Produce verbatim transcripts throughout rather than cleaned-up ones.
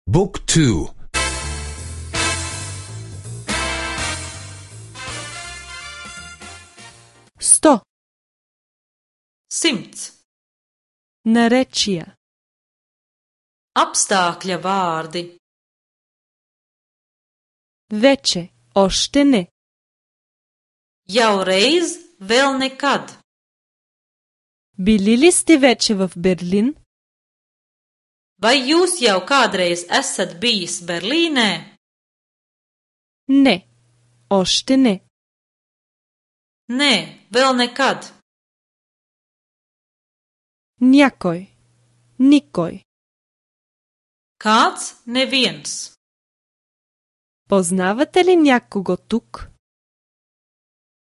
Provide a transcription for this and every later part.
Book two. Сто. Simts. Наречия. Apstākļa vārdi. Вече. Още не. Jau reiz, vēl nekad. Били ли сте вече в Берлин? Vai jūs jau kādreiz esat bijis Berlīnē? Не. Още не. Nē, vēl nekad. Някой. Никой. Kāds? Neviens. Познавате ли някого тук?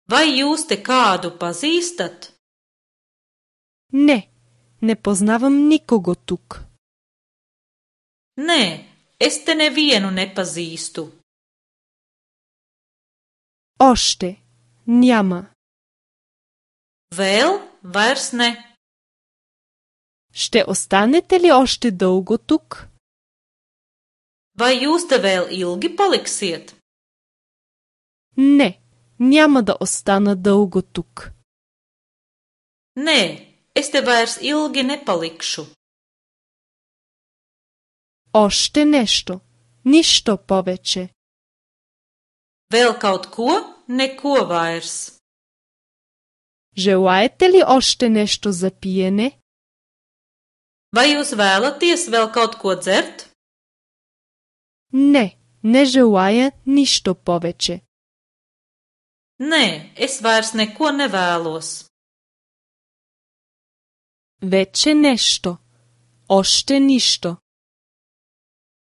Vai jūs te kādu pazīstat? Не. Не познавам никого тук. Nē, es te nevienu nepazīstu. Още. Няма. Vēl vairs ne. Ще останете ли още дълго тук? Vai jūs te vēl ilgi paliksiet? Не. Няма да остана дълго тук. Nē, es te vairs ilgi nepalikšu. Още нещо. Нищо повече. Vēl kaut ko? Neko vairs. Желаете ли още нещо за пиене? Vai jūs vēlaties vēl kaut ko dzert? Не. Не желая нищо повече. Nē, es vairs neko nevēlos. Вече нещо. Още нищо.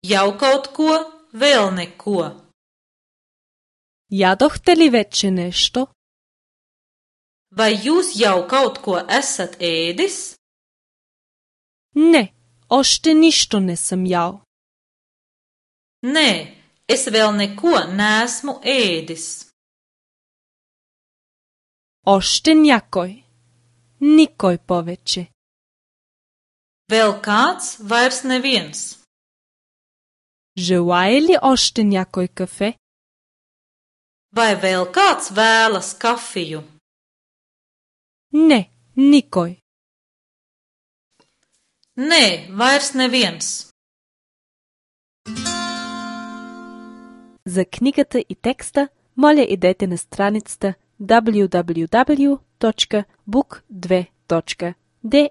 Jau kaut ko, vēl neko. Ядохте ли вече нещо? Vai jūs jau kaut ko esat ēdis? Не. Още нищо не съм ял. Nē, es vēl neko neesmu ēdis. Още някой. Никой повече. Vēl kāds, vairs neviens. Желае ли още някой кафе? Vai vēl kāds vēlas kafiju? Не. Никой. Nē, vairs neviens. За книгата и текста, моля идете на страницата дабълю дабълю дабълю точка бук две точка де